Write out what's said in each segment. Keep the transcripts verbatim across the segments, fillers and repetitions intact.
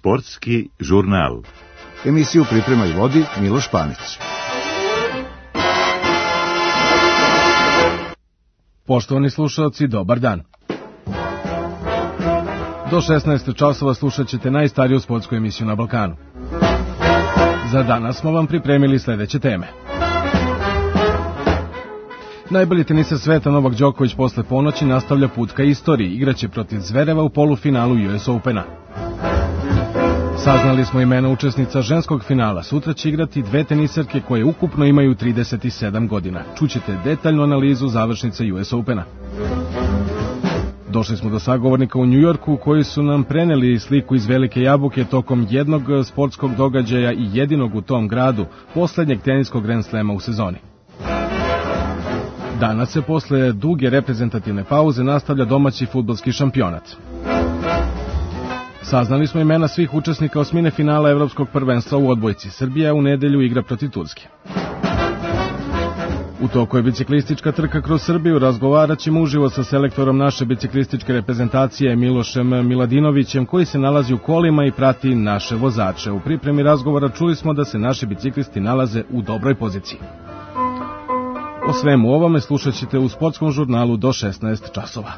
Sportski žurnal. Emisiju priprema i vodi Miloš Panić. Poštovani slušalci, dobar dan. Do šesnaest časova slušat ćete najstariju sportsku emisiju na Balkanu. Za danas smo vam pripremili sledeće teme. Najbolji teniser sveta Novak Đoković posle ponoći nastavlja put ka istoriji, igraće protiv Zvereva u polufinalu U S Opena. Saznali smo imena učesnica ženskog finala, sutra će igrati dve teniserke koje ukupno imaju trideset sedam godina. Čućete detaljnu analizu završnica U S Opena. Došli smo do sagovornika u Njujorku koji su nam preneli sliku iz Velike Jabuke tokom jednog sportskog događaja i jedinog u tom gradu, poslednjeg teniskog Grand Slema u sezoni. Danas se posle duge reprezentativne pauze nastavlja domaći fudbalski šampionat. Saznali smo imena svih učesnika osmine finala Evropskog prvenstva u odbojci. Srbija u nedelju igra protiv Turske. U toku je biciklistička trka kroz Srbiju, razgovarat ćemo uživo sa selektorom naše biciklističke reprezentacije Milošem Miladinovićem, koji se nalazi u kolima i prati naše vozače. U pripremi razgovora čuli smo da se naši biciklisti nalaze u dobroj poziciji. O svemu ovome slušat ćete u sportskom žurnalu do šesnaest časova.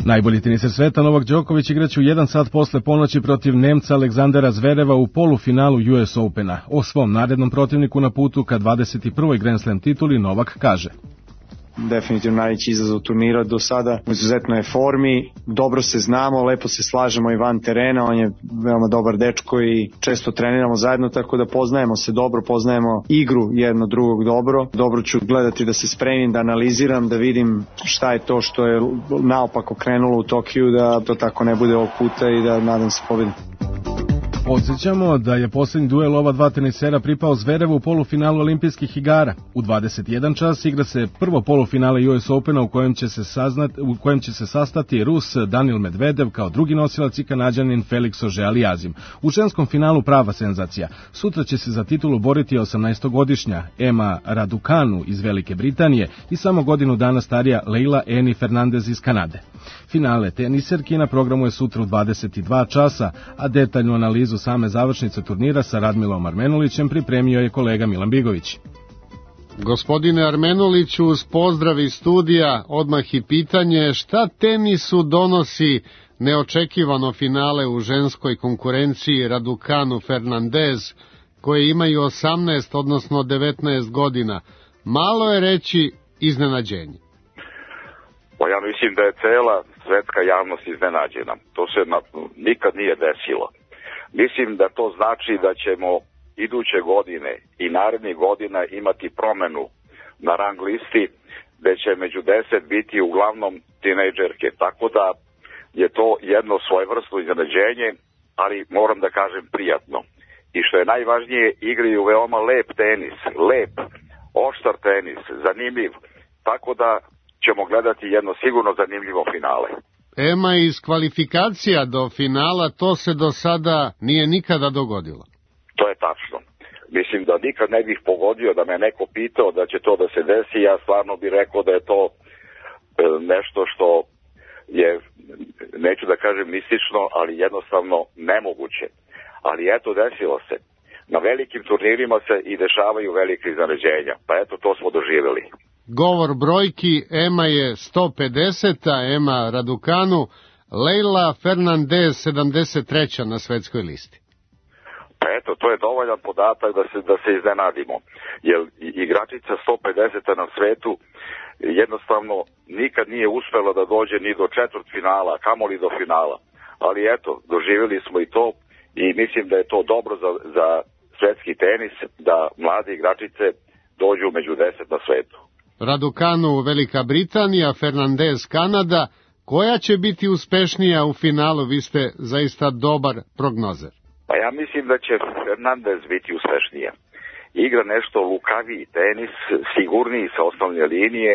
Najbolji teniser sveta Novak Đoković igraće u jedan sat posle ponoći protiv Nemca Aleksandera Zvereva u polufinalu U S Opena. O svom narednom protivniku na putu ka dvadeset prvoj Grand Slam tituli Novak kaže: definitivno najveći izazov turnira do sada, u izuzetnoj je formi, dobro se znamo, lepo se slažemo i van terena, on je veoma dobar dečko i često treniramo zajedno, tako da poznajemo se dobro, poznajemo igru jedno drugog dobro. Dobro ću gledati da se spremim, da analiziram, da vidim šta je to što je naopako krenulo u Tokiju, da to tako ne bude ovog puta i da nadam se pobedim. Podsjećamo da je poslednji duel ova dva tenisera pripao Zverevu u polufinalu olimpijskih igara. U dvadeset jedan čas igra se prvo polufinale U S Opena u kojem će se, saznat, u kojem će se sastati Rus Danil Medvedev kao drugi nosilac i Kanađanin Felix Auger-Aliassime. U ženskom finalu prava senzacija. Sutra će se za titulu boriti osamnaestogodišnja Emma Raducanu iz Velike Britanije i samo godinu dana starija Leila Eni Fernandez iz Kanade. Finale teniserki na programu je sutra u dvadeset dva časa, a detaljnu analizu same završnice turnira sa Radmilom Armenulićem pripremio je kolega Milan Bigović. Gospodine Armenuliću, uz pozdrav iz studija, odmah i pitanje, šta tenisu donosi neočekivano finale u ženskoj konkurenciji Raducanu Fernandez, koje imaju osamnaest, odnosno devetnaest godina? Malo je reći iznenađenje. Pa ja mislim da je cela svetska javnost iznenađena. To se na, nikad nije desilo. Mislim da to znači da ćemo iduće godine i narednih godina imati promenu na rang listi, gde će među deset biti uglavnom tinejdžerke. Tako da je to jedno svojevrsno iznenađenje, ali moram da kažem prijatno. I što je najvažnije, igraju veoma lep tenis, lep, oštar tenis, zanimljiv, tako da ćemo gledati jedno sigurno zanimljivo finale. Ema, iz kvalifikacija do finala to se do sada nije nikada dogodilo. To je tačno. Mislim da nikad ne bih pogodio da me neko pitao da će to da se desi. Ja stvarno bih rekao da je to nešto što je, neću da kažem mistično, ali jednostavno nemoguće. Ali eto, desilo se. Na velikim turnirima se i dešavaju velike iznenađenja. Pa eto, to smo doživjeli. Govor brojki, Ema je sto pedeset, Emma Raducanu, Leila Fernandez sedamdeset treća na svetskoj listi. Pa eto, to je dovoljan podatak da se, da se iznenadimo. Jer igračica sto pedeset na svetu jednostavno nikad nije uspela da dođe ni do četvrt finala, kamoli do finala. Ali eto, doživjeli smo i to i mislim da je to dobro za, za svetski tenis, da mlade igračice dođu među deset na svetu. Raducanu Velika Britanija, Fernandez Kanada. Koja će biti uspešnija u finalu? Vi ste zaista dobar prognozer. Pa ja mislim da će Fernandez biti uspešnija. Igra nešto lukaviji tenis, sigurniji sa osnovne linije,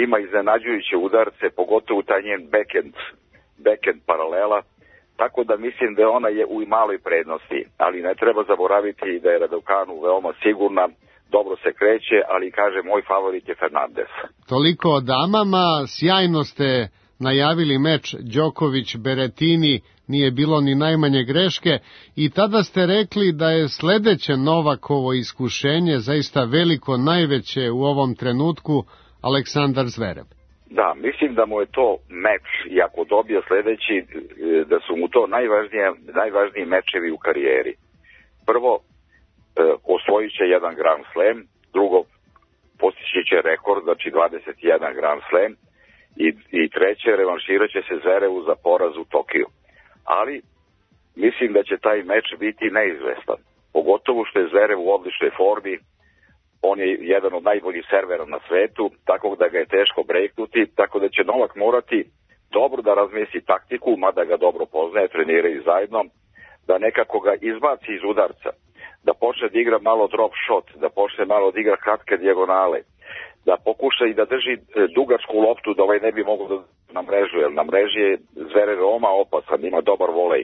ima iznenađujuće udarce, pogotovo taj njen backhand, backhand paralela, tako da mislim da ona je u maloj prednosti, ali ne treba zaboraviti da je Raducanu veoma sigurna, dobro se kreće, ali kaže moj favorit je Fernandez. Toliko o damama, sjajno ste najavili meč Đoković-Berettini, nije bilo ni najmanje greške i tada ste rekli da je sledeće Novakovo iskušenje zaista veliko, najveće u ovom trenutku, Aleksandar Zverev. Da, mislim da mu je to meč i ako dobije sledeći, da su mu to najvažnije, najvažniji mečevi u karijeri. Prvo, osvojit će jedan Grand Slam, drugo, postići će rekord, znači dvadeset jedan Grand Slam, i, i treće, revanširat će se Zverevu za poraz u Tokiju. Ali mislim da će taj meč biti neizvestan, pogotovo što je Zverev u odličnoj formi. On je jedan od najboljih servera na svetu, tako da ga je teško breknuti, tako da će Novak morati dobro da razmisli taktiku, mada ga dobro poznaje, treniraju zajedno, da nekako ga izbaci iz udarca, da počne da igra malo drop shot, da počne malo da igra kratke dijagonale, da pokuša i da drži dugačku loptu, da ovaj ne bi mogao da na mrežu, jer na mreži je Zverev veoma opasan, ima dobar volej.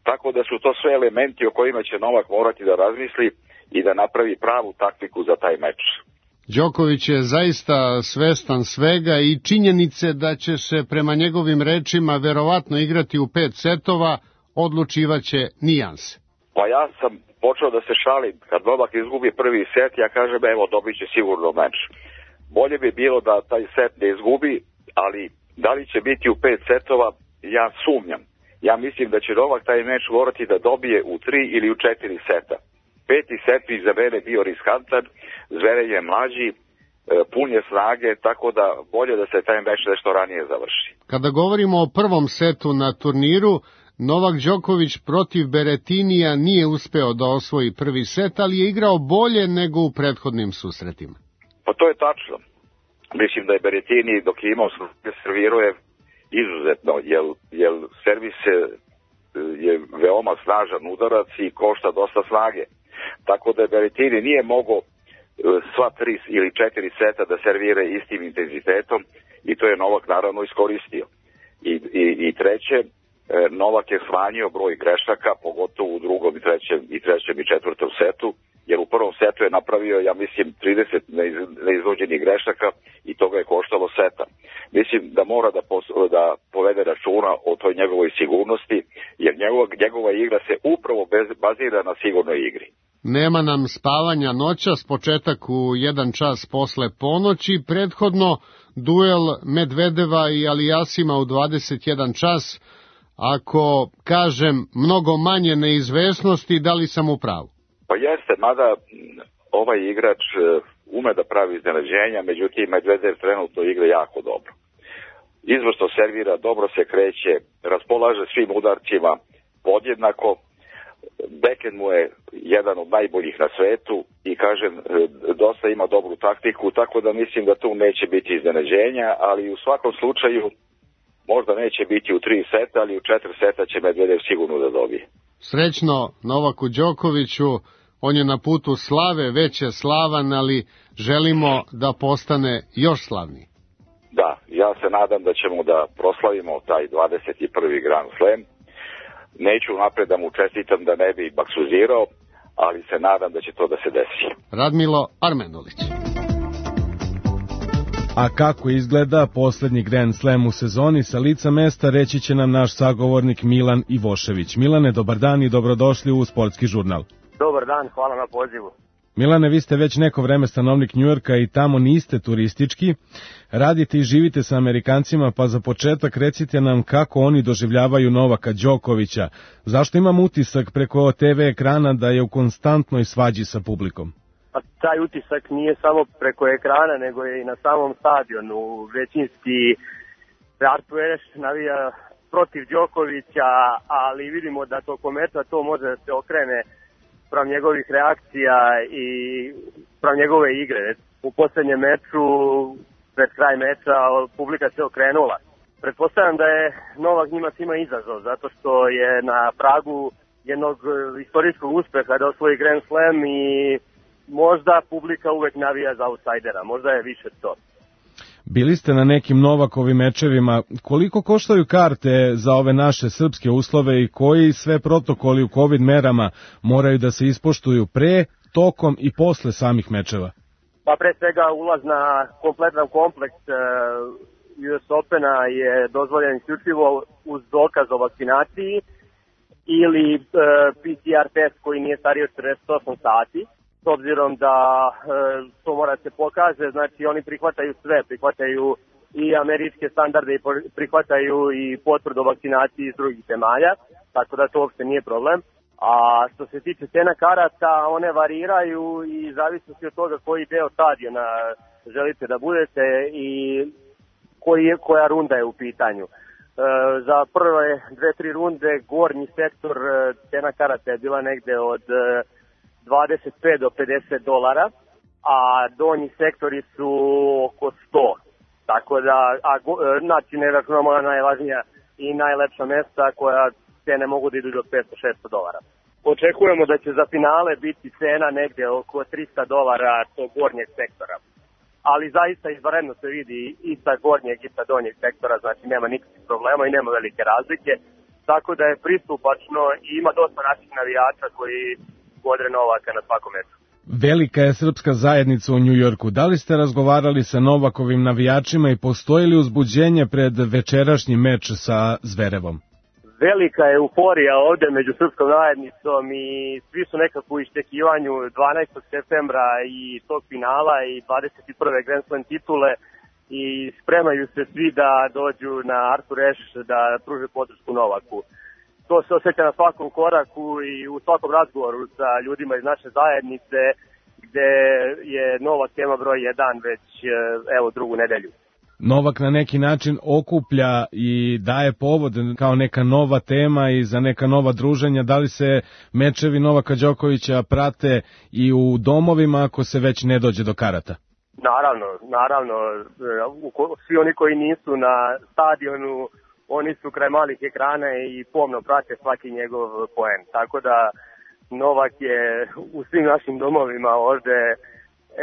Tako da su to sve elementi o kojima će Novak morati da razmisli i da napravi pravu taktiku za taj meč. Đoković je zaista svestan svega i činjenice da će se prema njegovim rečima verovatno igrati u pet setova, odlučivaće nijanse. Pa ja sam počeo da se šalim, kad Novak izgubi prvi set, ja kažem evo dobit će sigurno meč. Bolje bi bilo da taj set ne izgubi, ali da li će biti u pet setova, ja sumnjam. Ja mislim da će Novak taj meč morati da dobije u tri ili u četiri seta. Peti set bi za mene bio riskantan, Zverev je mlađi, pun je snage, tako da bolje da se taj meč nešto ranije završi. Kada govorimo o prvom setu na turniru, Novak Đoković protiv Berettinija nije uspeo da osvoji prvi set, ali je igrao bolje nego u prethodnim susretima. Pa to je tačno. Mislim da je Berettini dok je imao servirao je izuzetno, jer, jer servis je veoma snažan udarac i košta dosta snage. Tako da Berettini nije mogao sva tri ili četiri seta da servira istim intenzitetom i to je Novak naravno iskoristio. I, i, i treće, Novak je smanjio broj grešaka, pogotovo u drugom i trećem i trećem i četvrtom setu, jer u prvom setu je napravio, ja mislim, trideset neizvođenih grešaka i to ga je koštalo seta. Mislim da mora da, pos, da povede računa o toj njegovoj sigurnosti, jer njegova, njegova igra se upravo bez, bazira na sigurnoj igri. Nema nam spavanja noćas, početak u jedan čas posle ponoći, prethodno duel Medvedeva i Alijasima u dvadeset jedan čas. Ako kažem mnogo manje neizvesnosti, da li sam u pravu? Pa jeste, mada ovaj igrač ume da pravi iznenađenja, međutim Medvedev trenutno igra jako dobro. Izvrsno servira, dobro se kreće, raspolaže svim udarcima podjednako, backhand mu je jedan od najboljih na svetu i kažem, dosta ima dobru taktiku, tako da mislim da tu neće biti iznenađenja, ali u svakom slučaju možda neće biti u tri seta, ali u četiri seta će Medvedev sigurno da dobije. Srećno Novaku Đokoviću, on je na putu slave, već je slavan, ali želimo da postane još slavniji. Da, ja se nadam da ćemo da proslavimo taj dvadeset prvi Grand Slam. Neću napred da mu čestitam da ne bi baksuzirao, ali se nadam da će to da se desi. Radmilo Armenulić. A kako izgleda poslednji Grand Slam u sezoni, sa lica mesta reći će nam naš sagovornik Milan Ivošević. Milane, dobar dan i dobrodošli u Sportski žurnal. Dobar dan, hvala na pozivu. Milane, vi ste već neko vreme stanovnik Njujorka i tamo niste turistički. Radite i živite sa Amerikancima, pa za početak recite nam kako oni doživljavaju Novaka Đokovića. Zašto imam utisak preko te ve ekrana da je u konstantnoj svađi sa publikom? Pa taj utisak nije samo preko ekrana, nego je i na samom stadionu. Većinski Artueš navija protiv Đokovića, ali vidimo da tokom meča to može da se okrene sprem njegovih reakcija i sprem njegove igre. U poslednjem meču, pred kraj meča, publika se okrenula. Pretpostavljam da je Novak njima svima izazov, zato što je na pragu jednog istorijskog uspeha da osvoji Grand Slam i možda publika uvek navija za outsidera, možda je više to. Bili ste na nekim Novakovim mečevima. Koliko koštaju karte za ove naše srpske uslove i koji sve protokoli u COVID merama moraju da se ispoštuju pre, tokom i posle samih mečeva? Pa pre svega ulaz na kompletan kompleks U S Opena je dozvoljen isključivo uz dokaz o vakcinaciji ili P C R test koji nije stariji od četrdeset osam sati. S obzirom da to mora se pokaže, znači oni prihvataju sve, prihvataju i američke standarde i prihvataju i potvrdu o vakcinaciji iz drugih zemalja, tako da to uopšte nije problem. A što se tiče cena karata, one variraju i zavisnosti od toga koji deo stadiona želite da budete i koji je, koja runda je u pitanju. E, za prve dve, tri runde gornji sektor cena karata je bila negde od dvadeset pet do pedeset dolara, a donji sektori su oko sto. Tako da, a, znači ne računamo na najvažnija i najlepša mesta koja cene mogu da idu do petsto do šesto dolara. Očekujemo da će za finale biti cena negde oko trista dolara tog gornjeg sektora. Ali zaista izvanredno se vidi i sa gornjeg i sa donjeg sektora, znači nema nikakvih problema i nema velike razlike. Tako da je pristupačno i ima dosta naših navijača koji godre Novaka na svakom meču. Velika je srpska zajednica u Njujorku. Da li ste razgovarali sa Novakovim navijačima i postoji li uzbuđenje pred večerašnji meč sa Zverevom? Velika je euforija ovde među srpskom zajednicom i svi su nekako u iščekivanju dvanaestog septembra i tog finala i dvadeset prve Grand Slam titule i spremaju se svi da dođu na Arthur Ashe da pruže podršku Novaku. To se osjeća na svakom koraku i u svakom razgovoru sa ljudima iz naše zajednice gde je Novak tema broj jedan već evo drugu nedelju. Novak na neki način okuplja i daje povod kao neka nova tema i za neka nova druženja. Da li se mečevi Novaka Đokovića prate i u domovima ako se već ne dođe do karata? Naravno, naravno. Svi oni koji nisu na stadionu, oni su kraj malih ekrana i pomno prate svaki njegov poen. Tako da Novak je u svim našim domovima ovde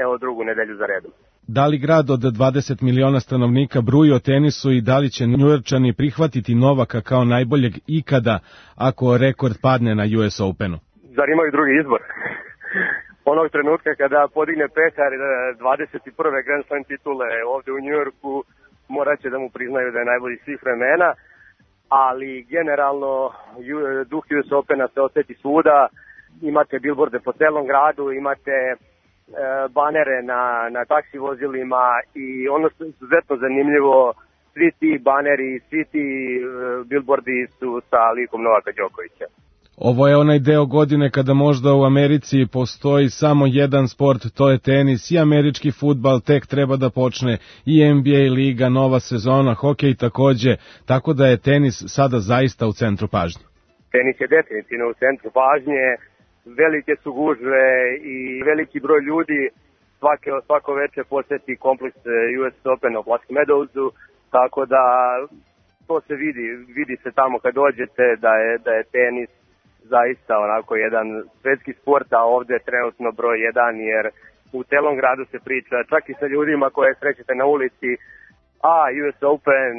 evo drugu nedelju za redom. Da li grad od dvadeset miliona stanovnika bruji o tenisu i da li će Njujorčani prihvatiti Novaka kao najboljeg ikada ako rekord padne na U S Openu? Zar imaju drugi izbor? Onog trenutka kada podigne pehar dvadeset prve Grand Slam titule ovde u Njujorku, morat će da mu priznaju da je najbolji svih vremena, ali generalno duh U S Opena se oseti svuda, imate bilborde po celom gradu, imate banere na, na taksi vozilima i ono što je izuzetno zanimljivo, svi ti baneri, svi ti uh, billboardi su sa likom Novaka Đokovića. Ovo je onaj deo godine kada možda u Americi postoji samo jedan sport, to je tenis i američki fudbal, tek treba da počne i N B A liga, nova sezona, hokej takođe, tako da je tenis sada zaista u centru pažnje. Tenis je definitivno u centru pažnje. Velike su gužve i veliki broj ljudi svake, svako veče poseti kompleks U S Open u Black Meadowsu, tako da to se vidi, vidi se tamo kad dođete da je, da je tenis zaista onako jedan svetski sport, a ovde je trenutno broj jedan jer u celom gradu se priča, čak i sa ljudima koje srećete na ulici, a U S Open,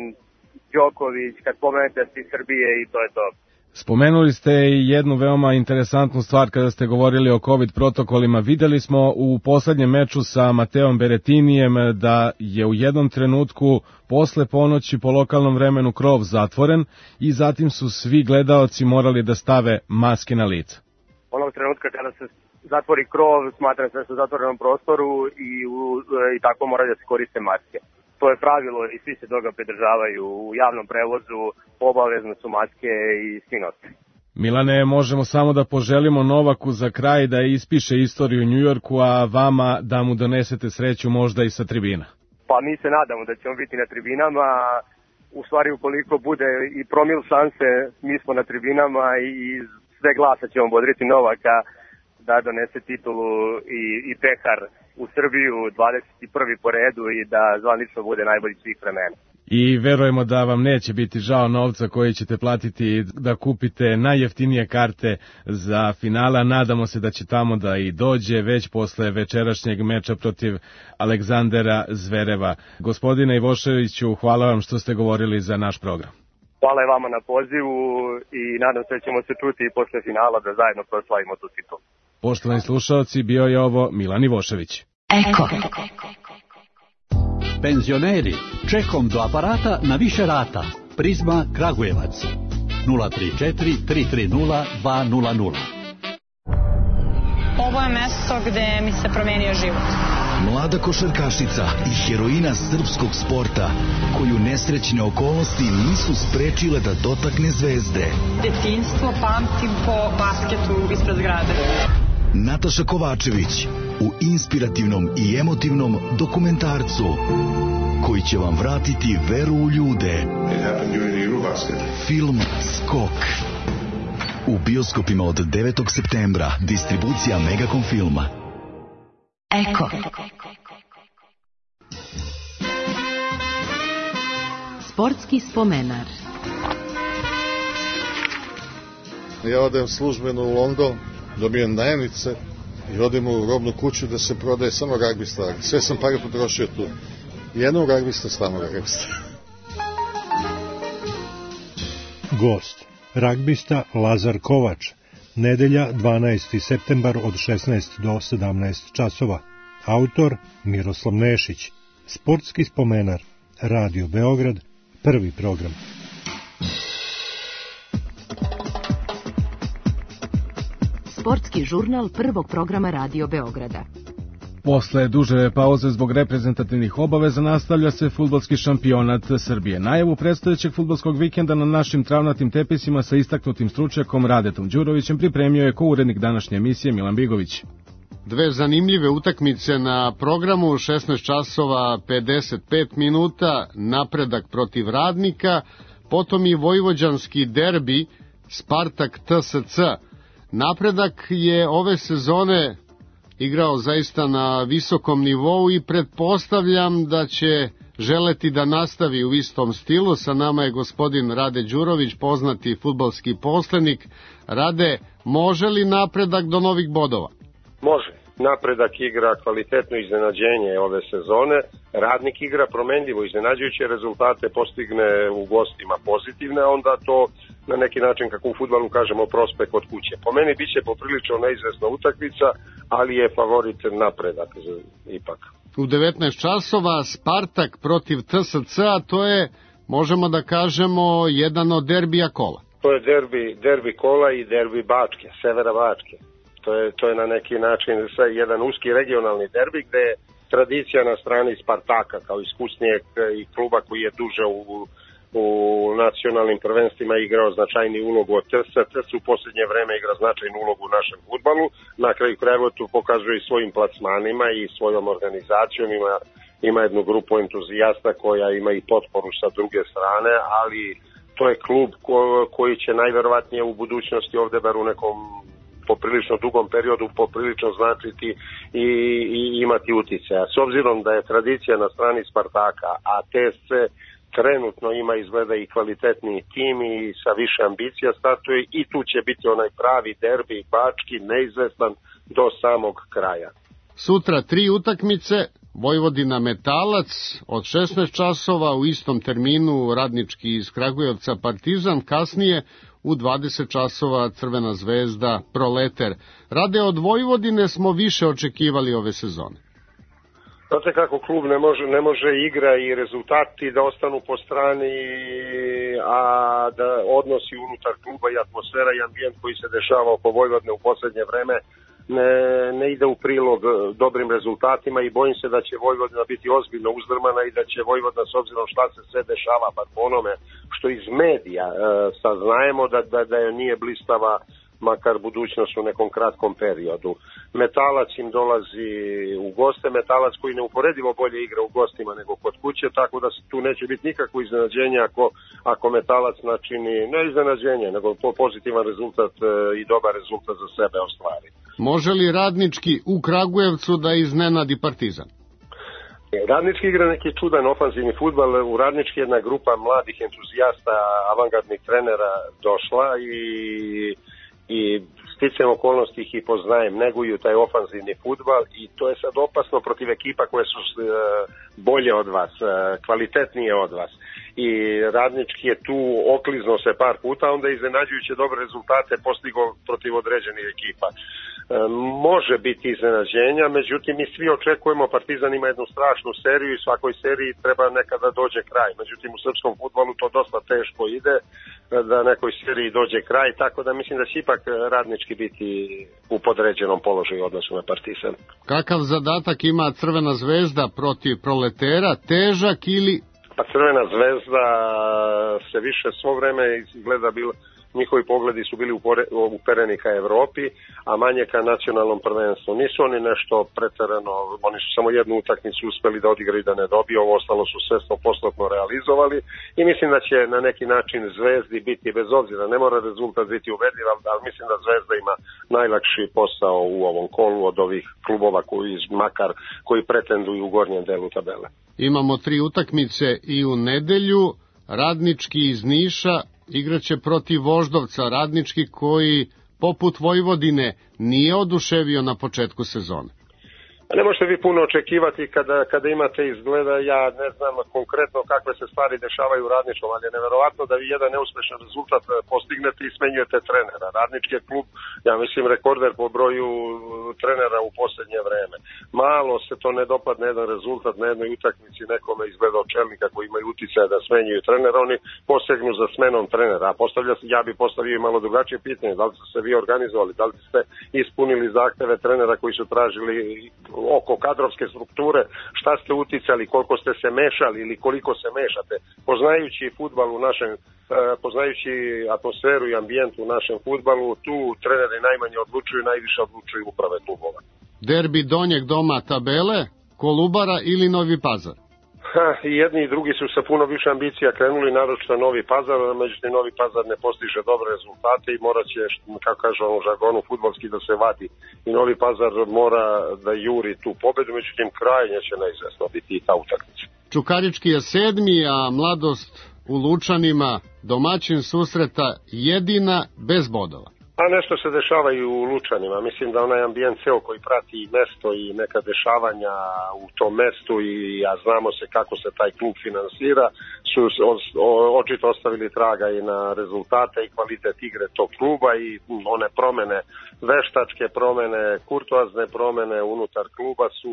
Đoković, kad pomenete iz Srbije i to je to. Spomenuli ste i jednu veoma interesantnu stvar kada ste govorili o COVID protokolima. Videli smo u poslednjem meču sa Mateom Beretinijem da je u jednom trenutku posle ponoći po lokalnom vremenu krov zatvoren i zatim su svi gledaoci morali da stave maske na lice. Onog trenutka kada se zatvori krov, smatra se da su u zatvorenom prostoru i, u, i tako moraju da se koriste maske. To je pravilo i svi se toga pridržavaju. U javnom prevozu obavezno su maske i svi nose. Milane, možemo samo da poželimo Novaku za kraj da ispiše istoriju u Njujorku, a vama da mu donesete sreću možda i sa tribina. Pa mi se nadamo da ćemo biti na tribinama. U stvari ukoliko bude i promil šanse, mi smo na tribinama i sve glasa ćemo bodriti Novaka da donese titulu i, i pehar u Srbiju dvadeset prvi po redu i da zvanično bude najbolji svih vremena. I verujemo da vam neće biti žao novca koji ćete platiti da kupite najjeftinije karte za finala. Nadamo se da će tamo da i dođe već posle večerašnjeg meča protiv Aleksandera Zvereva. Gospodine Ivoševiću, hvala vam što ste govorili za naš program. Hvala i vama na pozivu i nadam se da ćemo se čuti i posle finala da zajedno proslavimo tu titulu. Poštovani slušalci, bio je ovo Milan Ivošević. Eko. Penzioneri, čekom do aparata na više rata. Prizma Kragujevac. nula tri četiri tri tri nula dva nula nula. Ovo je mesto gde mi se promenio život. Mlada košarkašica i heroina srpskog sporta, koju nesrećne okolnosti nisu sprečile da dotakne zvezde. Detinjstvo pamtim po basketu ispred zgrade. Nataša Kovačević u inspirativnom i emotivnom dokumentarcu koji će vam vratiti veru u ljude. Film Skok. U bioskopima od devetog septembra. Distribucija Megacom filma. Eko. Sportski spomenar. Ja odem službeno u London, dobijem dnevnice i odem u robnu kuću da se prodaje samo ragbi stvari. Sve sam pare potrošio tu. Jednog ragbista, stvarno ragbista. Gost, ragbista Lazar Kovač, nedelja dvanaesti septembar od šesnaest do sedamnaest časova. Autor Miroslav Nešić. Sportski spomenar. Radio Beograd, prvi program. Sportski žurnal prvog programa Radio Beograda. Posle duže pauze zbog reprezentativnih obaveza nastavlja se fudbalski šampionat Srbije. Najavu predstojećeg fudbalskog vikenda na našim travnatim tepisima sa istaknutim stručnjakom Radetom Đurovićem pripremio je ko-urednik današnje emisije Milan Bigović. Dve zanimljive utakmice na programu, šesnaest časova pedeset pet minuta, Napredak protiv Radnika, potom i vojvođanski derbi Spartak T S C. Napredak je ove sezone igrao zaista na visokom nivou i pretpostavljam da će želeti da nastavi u istom stilu. Sa nama je gospodin Rade Đurović, poznati fudbalski poslenik. Rade, može li Napredak do novih bodova? Može. Napredak igra kvalitetno iznenađenje ove sezone, Radnik igra promenljivo iznenađujuće rezultate, postigne u gostima pozitivne, onda to na neki način, kako u fudbalu kažemo, prospe kod kuće. Po meni biće poprilično neizvesna utakmica, ali je favorit Napredak ipak. U devetnaest časova Spartak protiv T S C, a to je, možemo da kažemo, jedan od derbija kola. To je derbi, derbi kola i derbi Bačke, severa Bačke. To je, to je na neki način jedan uski regionalni derbi gde je tradicija na strani Spartaka kao iskusnijeg i kluba koji je duže u, u nacionalnim prvenstvima igrao značajni ulogu od T S C. T S C u posljednje vreme igra značajnu ulogu u našem fudbalu. Na kraju krajeva tu pokazuje i svojim plasmanima i svojom organizacijom. Ima, ima jednu grupu entuzijasta koja ima i potporu sa druge strane, ali to je klub ko, koji će najverovatnije u budućnosti ovde bar u nekom poprilično dugom periodu poprilično značiti i, i imati uticaja. S obzirom da je tradicija na strani Spartaka, a T S C trenutno ima izgleda i kvalitetniji tim i sa više ambicija startuje, i tu će biti onaj pravi derbi bački, neizvestan do samog kraja. Sutra tri utakmice, Vojvodina Metalac od šesnaest časova, u istom terminu Radnički iz Kragujevca Partizan, kasnije u dvadeset časova Crvena zvezda Proleter. Rade, od Vojvodine smo više očekivali ove sezone. Znate kako klub ne može, ne može igra i rezultati da ostanu po strani, a da odnosi unutar kluba i atmosfera i ambijent koji se dešava oko Vojvodine u poslednje vreme ne, ne ide u prilog dobrim rezultatima i bojim se da će Vojvodina biti ozbiljno uzdrmana i da će Vojvodina, s obzirom šta se sve dešava, pa po onome što iz medija e, saznajemo da, da, da je nije blistava makar budućnost u nekom kratkom periodu. Metalac im dolazi u goste, Metalac koji neuporedivo bolje igra u gostima nego kod kuće, tako da tu neće biti nikakvo iznenađenje ako, ako Metalac načini, ne iznenađenje, nego pozitivan rezultat i dobar rezultat za sebe ostvari. Može li Radnički u Kragujevcu da iznenadi Partizan? Radnički igra neki čudan ofanzivni fudbal, u Radnički jedna grupa mladih entuzijasta, avangardnih trenera došla i i sticajem okolnosti ih i poznajem, neguju taj ofanzivni fudbal i to je sad opasno protiv ekipa koje su bolje od vas, kvalitetnije od vas. i Radnički je tu okliznuo se par puta, onda je iznenađujuće dobre rezultate postigao protiv određenih ekipa. E, može biti iznenađenja, međutim mi svi očekujemo, Partizan ima jednu strašnu seriju i svakoj seriji treba nekada dođe kraj. Međutim u srpskom fudbalu to dosta teško ide da nekoj seriji dođe kraj, tako da mislim da će ipak Radnički biti u podređenom položaju u odnosu na Partizan. Kakav zadatak ima Crvena zvezda protiv Proletera, težak ili... Pa Crvena zvezda se više svo vreme izgleda bila, njihovi pogledi su bili upereni ka Evropi, a manje ka nacionalnom prvenstvu. Nisu oni nešto preterano, oni su samo jednu utakmicu uspeli da odigraju da ne dobiju, ovo ostalo su sve sto posto realizovali i mislim da će na neki način Zvezdi biti, bez obzira, ne mora rezultat biti ubedljiv, ali mislim da Zvezda ima najlakši posao u ovom kolu od ovih klubova koji, makar koji pretenduju u gornjem delu tabele. Imamo tri utakmice i u nedelju, Radnički iz Niša igraće protiv Voždovca, Radnički koji, poput Vojvodine, nije oduševio na početku sezone. Ne možete vi puno očekivati kada, kada imate izgleda, ja ne znam konkretno kakve se stvari dešavaju u Radničkom, ali je neverovatno da vi jedan neuspešan rezultat postignete i smenjujete trenera. Radnički je klub, ja mislim, rekorder po broju trenera u posljednje vreme. Malo se to ne dopadne jedan rezultat na jednoj utakmici nekome izgleda od čelnika koji imaju utjecaj da smenjuju trenera, oni posegnu za smenom trenera. A postavlja se, ja bi postavio i malo drugačije pitanje, da li ste se vi organizovali, da li ste ispunili zahteve trenera koji su tražili oko kadrovske strukture, šta ste uticali, koliko ste se mešali ili koliko se mešate. Poznajući fudbal u našem, poznajući atmosferu i ambijent u našem fudbalu, tu treneri najmanje odlučuju, najviše odlučuju uprave klubova. Derbi donjeg doma tabele, Kolubara ili Novi Pazar? Ha, i jedni i drugi su sa puno više ambicija krenuli, naročito Novi Pazar, međutim Novi Pazar ne postiže dobre rezultate i morat će, kako kažu u žargonu, fudbalski da se vadi i Novi Pazar mora da juri tu pobedu, međutim krajnje će neizvesno biti i ta utakmica. Čukarički je sedmi, a Mladost u Lučanima, domaćin susreta jedina bez bodova. A nešto se dešava i u Lučanima. Mislim da onaj ambijent ceo koji prati i mesto i neka dešavanja u tom mestu i a znamo se kako se taj klub finansira, su očito ostavili traga i na rezultate i kvalitet igre tog kluba i one promene, veštačke promene, kurtoazne promene unutar kluba su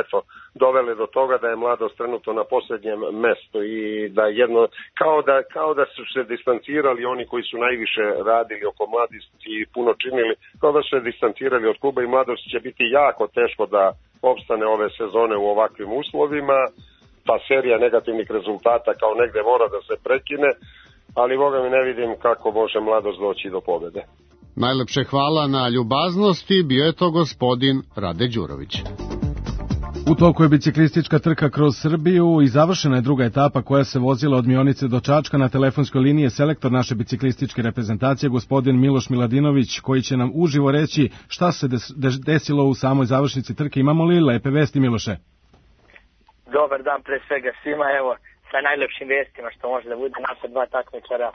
eto dovele do toga da je Mladost trenutno na posljednjem mestu i da jedno, kao da, kao da su se distancirali oni koji su najviše radili oko Mladosti i puno činili, kao da su se distancirali od kluba i Mladost će biti jako teško da opstane ove sezone u ovakvim uslovima. Ta serija negativnih rezultata kao negde mora da se prekine, ali boga mi ne vidim kako može Mladost doći do pobjede. Najlepše hvala na ljubaznosti, bio je to gospodin Rade Đurović. U toku je biciklistička trka kroz Srbiju i završena je druga etapa koja se vozila od Mionice do Čačka. Na telefonskoj liniji je selektor naše biciklističke reprezentacije, gospodin Miloš Miladinović, koji će nam uživo reći šta se desilo u samoj završnici trke. Imamo li lepe vesti, Miloše? Dobar dan pre svega svima, evo sa najlepšim vestima što može da bude. Naša dva takmičara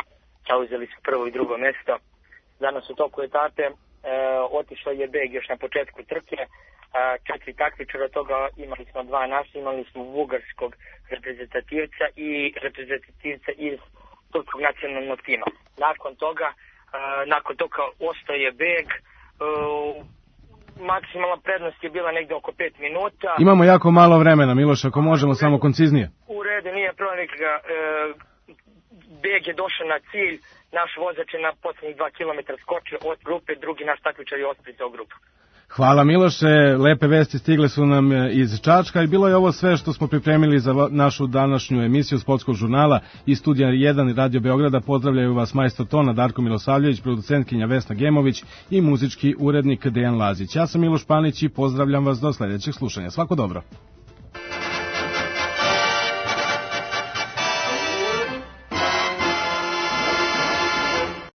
zauzeli su prvo i drugo mesto. Danas u toku etape e, otišao je beg još na početku trke, e, četiri takmičara, od toga imali smo dva naša, imali smo bugarskog reprezentativca i reprezentativca iz turskog nacionalnog tima. Nakon toga, e, nakon toga ostao je beg, e, maksimalna prednost je bila negde oko pet minuta. Imamo jako malo vremena, Miloš, ako možemo samo konciznije. U redu, nije problem nikada. E, beg je došao na cilj, naš vozač je na posljednjih dva kilometra skočio od grupe, drugi naš takmičar je ospricao grupu. Hvala, Miloše, lepe vesti stigle su nam iz Čačka i bilo je ovo sve što smo pripremili za našu današnju emisiju Sportskog žurnala iz studija jedan Radio Beograda. Pozdravljaju vas majstor tona Darko Milosavljević, producentkinja Vesna Gemović i muzički urednik Dejan Lazić. Ja sam Miloš Panić i pozdravljam vas do sljedećeg slušanja. Svako dobro.